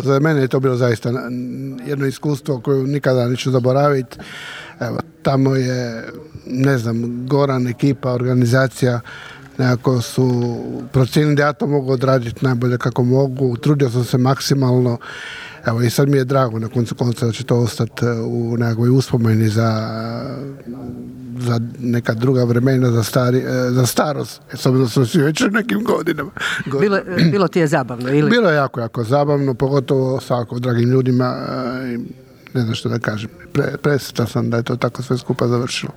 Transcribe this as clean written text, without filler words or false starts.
Za mene je to bilo zaista jedno iskustvo koje nikada neću zaboraviti. Evo, tamo je, ne znam, Goran, ekipa, organizacija, nekako su procijenili da ja to mogu odraditi najbolje kako mogu. Trudio sam se maksimalno. Evo, i sad mi je drago na koncu konca da će to ostati u nekakvoj uspomeni za neka druga vremena, za starost. S obzirom smo svi već u nekim godinama. Bilo ti je zabavno, ili? Bilo je jako zabavno, pogotovo sa ovako dragim ljudima. Ne znam što da kažem. Presretan sam da je to tako sve skupa završilo.